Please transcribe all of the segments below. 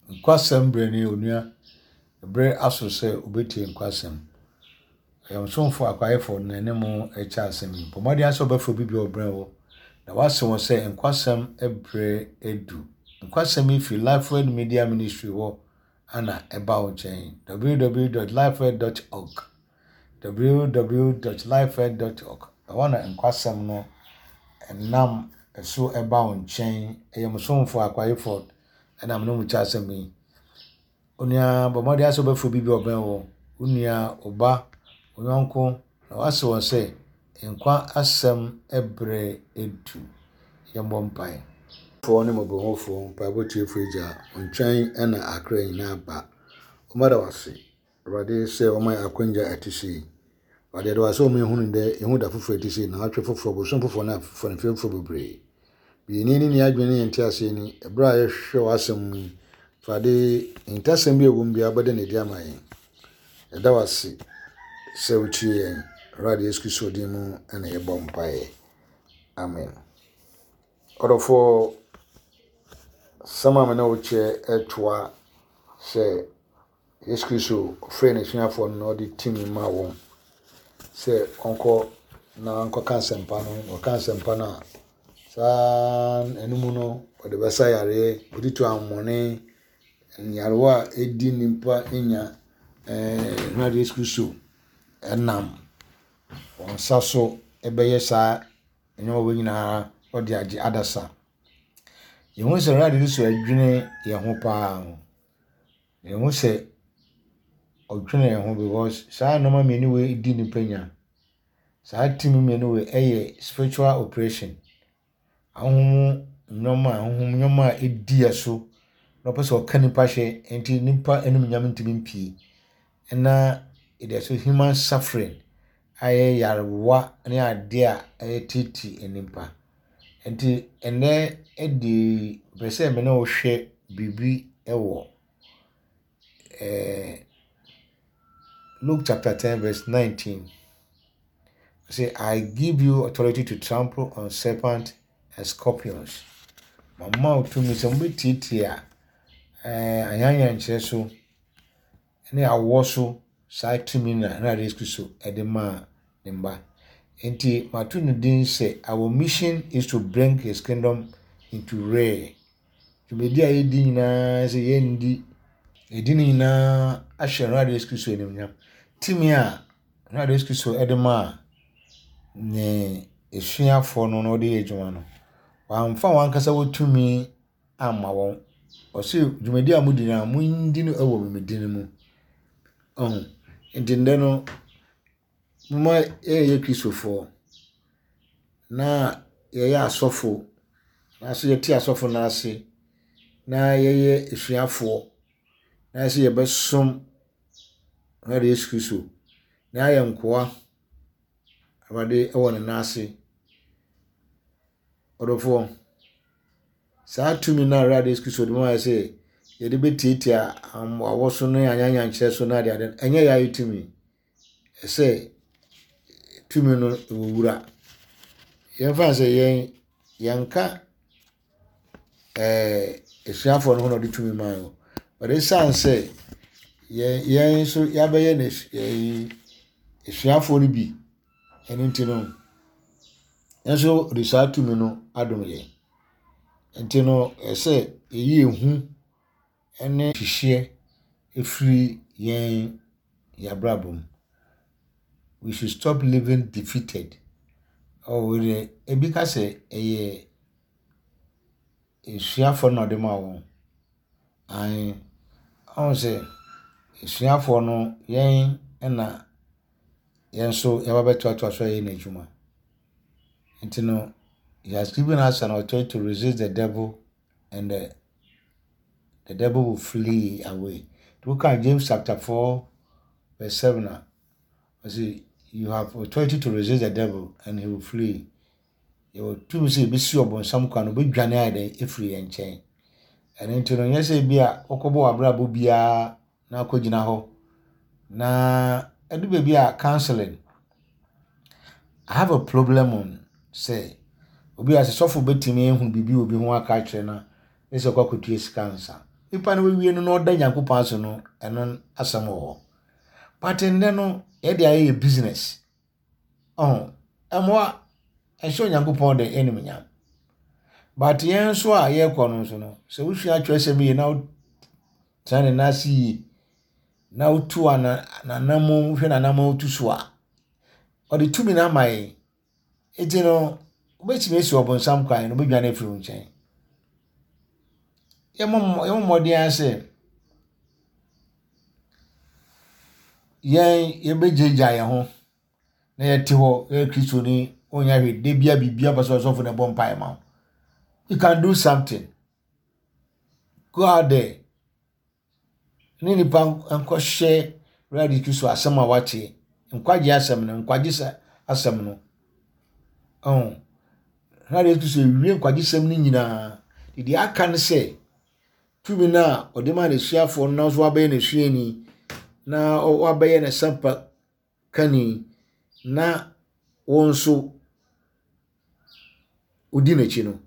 Nkwasɛm berɛ nie onua. Berɛ aso sɛ wobɛtie nkwasɛm. Ɔyamsomfo Akwaefo na ɛne mo rekyɛ asɛm yi. Bɔ mmɔden ara sɛ wobɛfrɛ obi biara a ɔbrɛ wo, na woase wɔn sɛ nkwasɛm berɛ adu. Nkwasɛm yi fi Lifeword Media Ministry hɔ ana ɛba wo nkyɛn. www.lifeword.org www.lifeword.org Ɛhɔ na nkwasɛm no nam so ɛba wo nkyɛn. Ɛyɛ mo somfo Akwaefo ɛna me ne mo kyɛ asɛm yi. Onua, bɔ mmɔden ara sɛ wobɛfrɛ obi bi a ɔbɛn wo, wo nua, wo ba, wo yɔnko, na woase wɔn sɛ, Nkwa asɛm berɛ adu. Yɛmmɔ mpae. Foɔ ne mmɔborɔhunufoɔ, mpaebɔ tiefoɔ Agya, wo nkyɛn na akra nyinaa ba. Wɔda wo ase, Awurade, sɛ wama yɛn akwanya a ɛte sei. Awurade, yɛda wo ase sɛ wama yɛhunu nnɛ, yɛhu da foforɔ a ɛte sei, naawɔtwe foforɔ, bosom foforɔ ne afe mfe foforɔ bebree. Yɛn ani ne yɛn adwene ne yɛn nteaseɛ ni, ɛberɛ a yɛhwehwɛ w'asɛm mu yi, Awurade, ahintasɛm bi a ɛwɔ mu biara wobɛda no adi ama yɛn. Yɛda wo ase sɛ wotie yɛn. Awurade Yesu Kristo din mu na yɛbɔ mpaeɛ. Amen. Ɔdɔfoɔ, asɛm a me ne wo kyɛ ɛtoa sɛ Yesu Kristo frɛɛ n'asuafoɔ no na ɔde tumi maa wɔn sɛ wɔnkɔ na wɔnkɔka asɛmpa no. Wɔka asɛmpa no a, saa ɛno mu no, wɔde bɛsa yareɛ, wɔde tu ahonhommɔne, nyarewa a ɛdi nnipa nya. Ɛɛ Awurade Yesu Kristo nam wɔn nsa so bɛyɛ saa nneɛma wei nyinaa ɔde agye adasa. Yɛhu sɛ Awurade Yesu dwene yɛn ho paa. Mehu sɛ ɔdwene yɛn ho because saa nneɛma mmienu wei di nipa nya. Saa tumi mmienu wei yɛ spiritual operation. Ahonhom mu nneɛma ahonhom nneɛma a ɛdi yɛn so na ɔpɛ sɛ ɔka nipa hyɛ nti nipa animuonyam ntumi mpue. Ɛna yɛde so human suffering a ɛyɛ nyarewa ne adeɛ a ɛreteetee nnipa. Nti ɛnnɛ de mepɛ sɛ me ne wo hwɛ biribi wɔ ɛɛ Luke chapter 10 verse 19. Say, I give you authority to trample on serpent and scorpions. Mama wo tumi sɛ mobɛtiatia ɛɛ anyanyankyerɛ so ne awɔ so saa tumi na Awurade Yesu Kristo de maa ne mma. Nti mato no din sɛ our mission is to bring his kingdom into real. Dwumadi a yɛdi nyinaa sɛ yɛndi yɛdi ne nyinaa ahyɛ Awurade Yesu Kristo animuonyam. Tumi a Awurade Yesu Kristo de maa ne asuafoɔ no na wɔde yɛ adwuma no, wamfa wɔn ankasa wɔ tumi amma wɔn. Ɔse dwumadi a modi no a mondi no wɔ me din mu. Ɔho nti ndɛ no momma yɛnyɛ Kristofoɔ na yɛyɛ asɔfo anaasɛ yɛte asɔfo no ase na yɛyɛ asuafoɔ na yɛsɛ yɛbɛsom Awurade Yesu Kristo na yɛayɛ nkoa Awurade wɔ ne nan ase. Ɔdɔfoɔ, saa tumi no a Awurade Yesu Kristo de ma yɛ sɛ yɛde bɛtiatia awɔ so ne anyanyankyerɛ so ne adeade no, ɛnyɛ yɛayɛ tumi. Ɛsɛ tumi no wɔ wura. Yɛmfa no sɛ yɛn yɛnka ɛɛ asuafoɔ no ho na ɔde tumi maa yɛn. But ɛsiane sɛ yɛn yɛn nso yɛabɛyɛ n'asu asuafoɔ no bi Ɛno nti no, yɛn nso de saa tumi no adom yɛn. Nti no, ɛsɛ sɛ yɛyi ehu ne hyehyeɛ firi yɛn yɛn abrabɔ mu. We should stop living defeated. Oh, wei deɛ, ebi ka sɛ ɛyɛ asuafoɔ no na ɔde maa wɔn. Aane, woahu sɛ asuafoɔ no, yɛn na yɛn nso yɛaba bɛtoatoa so ayɛ n'adwuma. Nti no, he has given us an authority to resist the devil and the, the devil will flee away. Nti woka James chapter 4 verse 7 a, ɔse you have authority to resist the devil and he will flee. Yɛwɔ tumi sɛ yɛbɛsi ɔbonsam kwan no, ɔbɛdwane ayɛ dɛn afiri yɛn nkyɛn. Ɛno nti no, nyɛ sɛ bi a wokɔbɔ w'abrabɔ biara na akɔgyina hɔ. Na ɛdu baabi a counseling, I have a problem on sɛ obi a sɛ sɔfo bɛtumi ahu biribi wɔ obi ho aka akyerɛ no a, ne sɛ ɔkɔ akɔtua sika ansa. Nipa no wawie no na ɔda Nyankopɔn ase no, ɛno asɛm wɔ hɔ. But nnɛ no, yɛde ayɛ yɛ business. Ɔho, ɛmmoa, ɛnhyɛ Onyankopɔn de animuonyam. But yɛn nso a yɛrekɔ no nso no, sɛ wosua atwerɛsɛm yie na wotena ne nan ase yie, na wotu ana n'anammɔn, wohwɛ n'anammɔn wotu so a, ɔde tumi no ama yɛn. Enti no, wobɛtumi asi ɔbonsam kwan na obɛdwane afiri wo nkyɛn. Yɛmmɔ mmɔden ara sɛ yɛn yɛbɛgyaagyaa yɛn ho na yɛte hɔ yɛyɛ Kristoni wonyɛ hwee da bia biribi aba sɛ ɔsɔfo na ɛbɔ mpaeɛ ma wo. You can do something. Go out there. Ne nipa nkɔhyɛ Awurade Kristo asɛm a wate, nkwagye asɛm no, nkwagye asɛm no. Ɔho. Awurade Kristo ewie nkwagyesɛm no nyinaa. Deɛ aka ne sɛ, tumi no a ɔde maa n'asuafoɔ no na nso wabɛyɛ n'asuani na wabɛyɛ n'asɛmpa kani na wo nso wodi n'akyi no.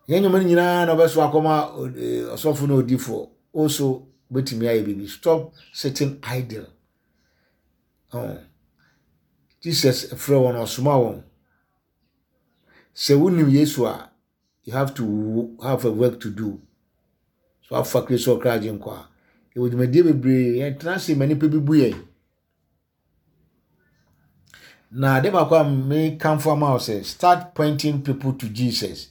Yɛn nneɛma no nyinaa na ɔbɛso akɔma ɔsɔfo ne odifoɔ. Wo nso wobɛtumi ayɛ biribi. Stop sitting idle. Oh. Jesus frɛ wɔn, ɔsoma wɔn. Sɛ wonim Yesu a, you have to have a work to do. So afa Kristo ɔkra agye nkwa a, yɛwɔ dwumadie bebree, yɛntena ase ma nnipa bi bu yɛn. Na ade baako a mekamfo ama wo sɛ start pointing people to Jesus.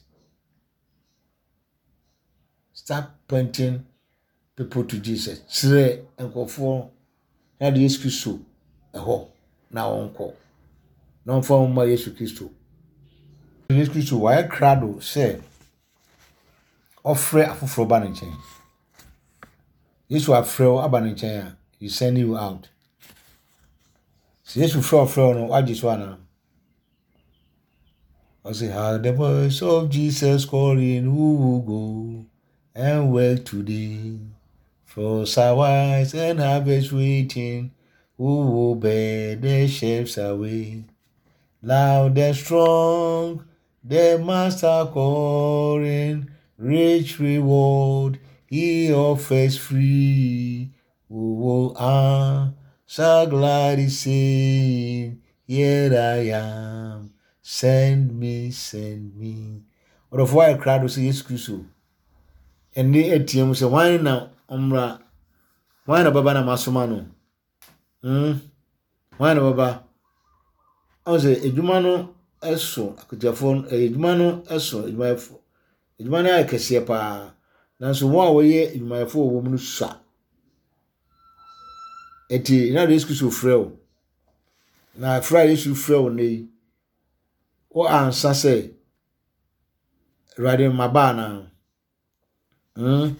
Start pointing people to Jesus. Kyerɛ nkurɔfoɔ na de Yesu Kristo ɛhɔ na wɔnkɔ. Na wɔmfa wɔn mma Yesu Kristo. Yesu Kristo wayɛ krado sɛ ɔfrɛ afoforɔ ba ne nkyɛn. Yesu afrɛ wo aba ne nkyɛn a, he send you out. Sɛ Yesu frɛ ɔfrɛ wo no, wagye so anaa? Ɔse, how the voice of Jesus calling, who will go and work today? For wise and harvest waiting, who will bear the sheaves away? Loud and strong, the master calling, rich reward he offers free. Who will answer gladly saying, Here I am, send me, send me. Ɔdɔfo ayɛ krado sɛ Yesu Kristo ɛnne atia mu sɛ hwan na ɔmmra, hwan na ɔbɛba na masoma no. Hmm, hwan na ɔbɛba? Ɔn sɛ adwuma no so akatuafoɔ no, adwuma no so adwumayɛfoɔ. Adwuma no ayɛ kɛseɛ paa, nanso wɔn a wɔyɛ adwumayɛfoɔ wɔ mu no sua. Enti na Yesu Kristo frɛ wo. Na frɛ a Yesu frɛ wo nnɛ yi, wo ansa sɛ, Awurade maba anaa? Hmm.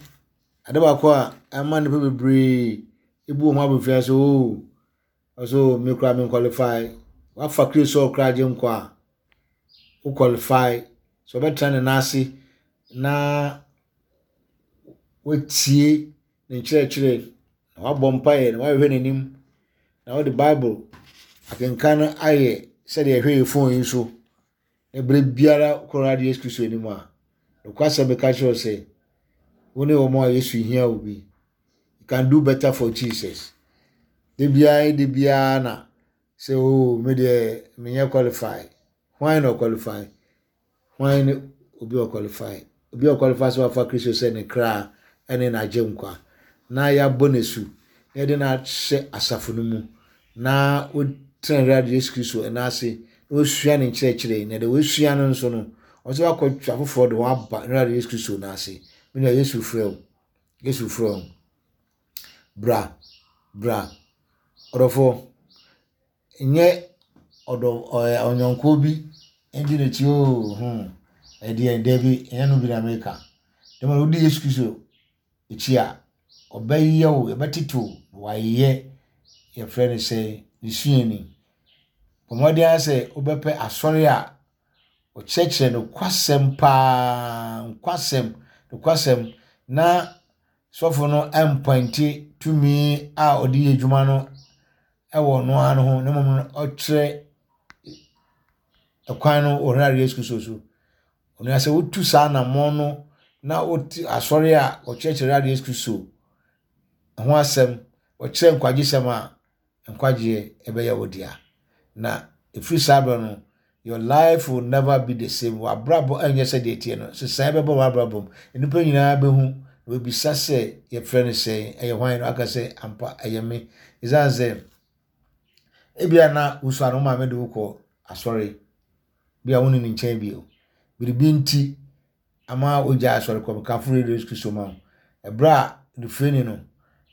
Ade baako a ɛma nnipa bebree ebu wɔn ho abofra sɛ oo, ɔsɛ oo me koraa me nkwalifai. Wafa Kristo sɛ ɔkra agye nkwa a, wo qualify. Sɛ ɔbɛtena ne nan ase na watie ne nkyerɛkyerɛ, na wabɔ mpaeɛ na wahwehwɛ n'anim, na wode Bible akenkan no ayɛ sɛdeɛ ɛhwɛ yɛ phone yi so. Na berɛ biara wokɔ Awurade Yesu Kristo anim a, nokwasɛm meka kyerɛ wo sɛ, wo ne wɔn a Yesu hia wo bi. You can do better for Jesus. Da biara da biara na sɛ o oh, me deɛ menyɛ qualify. Hwan na ɔqualify? Hwan ne obi a ɔqualify? Obi a ɔqualify sɛ wafa Kristo sɛ ne kra ne n'agyenkwa na yɛabɔ no asu na yɛde no ahyɛ asafo no mu na ɔtena Awurade Yesu Kristo nan ase na ɔsua ne nkyerɛkyerɛ na deɛ wɔasua no nso no ɔsɛ wakɔtwe afoforɔ de wɔn aba Awurade Yesu Kristo nan ase. Me nua Yesu frɛ wo. Yesu frɛ wo. Bra, bra. Ɔdɔfoɔ, nyɛ ɔdɔ ɔyɛ ɔnyɔnkoɔ bi ndi n'akyi oo hmm ɛdeɛ dabi ɛnyɛ no bi na meka. Dɛm wodi Yesu Kristo akyi a, ɔbɛyɛ wo, ɔbɛtete wo na wayɛ yɛfrɛ no sɛ ne suani. Bɔ mmɔden ara sɛ wobɛpɛ asɔre a ɔkyerɛkyerɛ nokwasɛm paa, nokwasɛm, nokwasɛm na sɔfo no mpɔinte tumi a ɔde yɛ adwuma no wɔ ɔno ara no ho na mmom no ɔkyerɛ ɛkwan no wɔ Awurade Yesu Kristo so. Onua sɛ wotu saa anammɔn no na wote asɔre a wɔkyerɛkyerɛ Awurade Yesu Kristo ho asɛm, wɔkyerɛ nkwagyesɛm a, nkwagyeɛ ɛbɛyɛ wo dea. Na ɛfiri saa berɛ no, your life will never be the same. W'abrabɔ ɛnyɛ sɛdeɛ ɛteɛ no. Sesaeɛ bɛba w'abrabɔ mu. Nnipa nyinaa bɛhu na wɔbisa sɛ yɛfrɛ no sɛn, ɛyɛ hwan no aka sɛ ampa ɛyɛ me. Ɛsiane sɛ ebia na wosua no wo maame de wo kɔ asɔre, bi a wo ne ne nkyɛn bio. Biribi nti ama wogyae asɔre kɔ. Mekamfo Radio Yesu Kristo ma wo. Ɛberɛ a onifirani no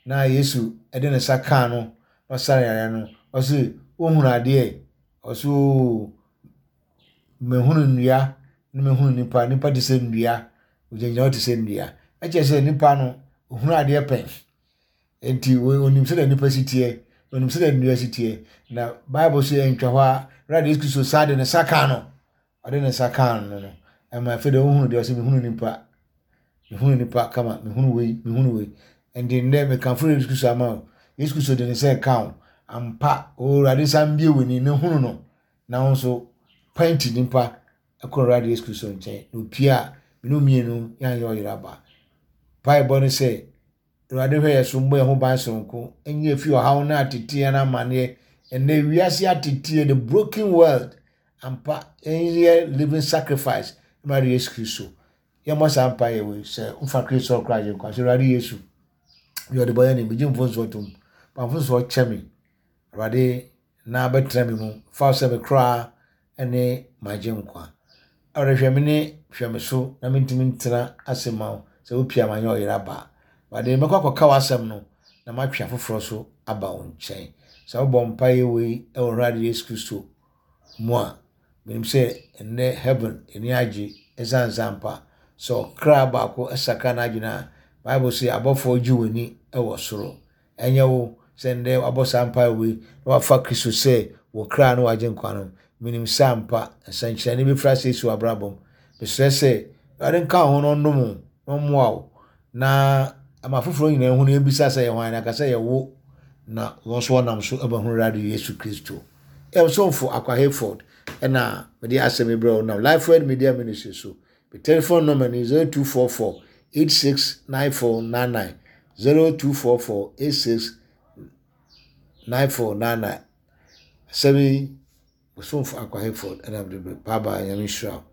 na Yesu de ne nsa kaa no na ɔsa no yareɛ no, ɔse, wohunu adeɛ? Ɔse, oo, mehunu nnua na mehunu nipa. Nipa te sɛ nnua. Ogyinagyina hɔ te sɛ nnua. Ɛkyerɛ sɛ nipa no, ohunu adeɛ pɛn. Enti onim sɛdeɛ nipa si teɛ, onim sɛdeɛ nnua si teɛ. Na Bible so ɛntwa hɔ a, Awurade Yesu Kristo saa de ne nsa kaa no. Ɔde ne nsa kaa no no, ɛma afei deɛ wohunu deɛ ɔsɛ mehunu nipa, mehunu nipa kama, mehunu wei, mehunu wei. Ɛnti nnɛ mekamfo Yesu Kristo ama wo. Yesu Kristo de ne nsa ɛka wo. Ampa, Awurade nsa mbie w'ani na hunu no. Na wo nso, pɛnti nipa ɛkɔ Awurade Yesu Kristo nkyɛn. Na opie a, mene mmienu yɛanyɛ ɔyere aba. Mpaebɔ ne sɛ, Awurade hwɛ yɛn so mmɔ yɛn ho ban soronko, nyi yɛn fi ɔhaw ne ateteɛ ne amanneɛ. Ɛnnɛ wiase ateteɛ, the broken world, ampa yɛnyɛ living sacrifice ma Awurade Yesu Kristo. Yɛmmɔ saa mpaeɛ wei sɛ mfa Kristo ɔkra agye nkwa sɛ Awurade Yesu, yɛ ɔdebɔyɛni, megye mfomsoɔ tom, fa mfomsoɔ kyɛ me. Awurade na bɛtena me mu, fa wo sɛ me kra ne m'agyenkwa. Awurade hwɛ me ne hwɛ me so na mentumi ntena ase ma wo sɛ wopia ma nyɛ ɔyere aba. Awurade mɛkɔ akɔka w'asɛm no na matwe afoforɔ so aba wo nkyɛn. Sɛ wobɔ mpaeɛ wei wɔ Awurade Yesu Kristo mu a, menim sɛ ɛnnɛ heaven ani agye ɛsiane sɛ ampa sɛ ɔkra baako sakra n'adwene a, Bible se abɔfoɔ gye w'ani wɔ soro. Ɛnyɛ wo sɛ nnɛ wabɔ saa mpae wei na wafa Kristo sɛ wo kra ne w'agyenkwa no. Menim sɛ ampa nsɛnkyerɛnne bɛfiri ase asi w'abrabɔ mu. Mesrɛ sɛ Awurade nka wo ho na ɔnnom wo na ɔmmoa wo na ama afoforɔ nyinaa nhunu yɛn bisa sɛ yɛ hwan na aka sɛ yɛ wo na wɔn nso wɔnam so abɛhunu Awurade Yesu Kristo. Yɛn somfo Akwa Hayford ɛna mede asɛm yi brɛ wo nam Lifeword Media Ministry so. Me telephone number ni 0244 869499 0244 869499. Asɛm yi, Ɔsomfo Akwa Hayford ɛna mede brɛ. Bye bye, Nyame nhyira wo.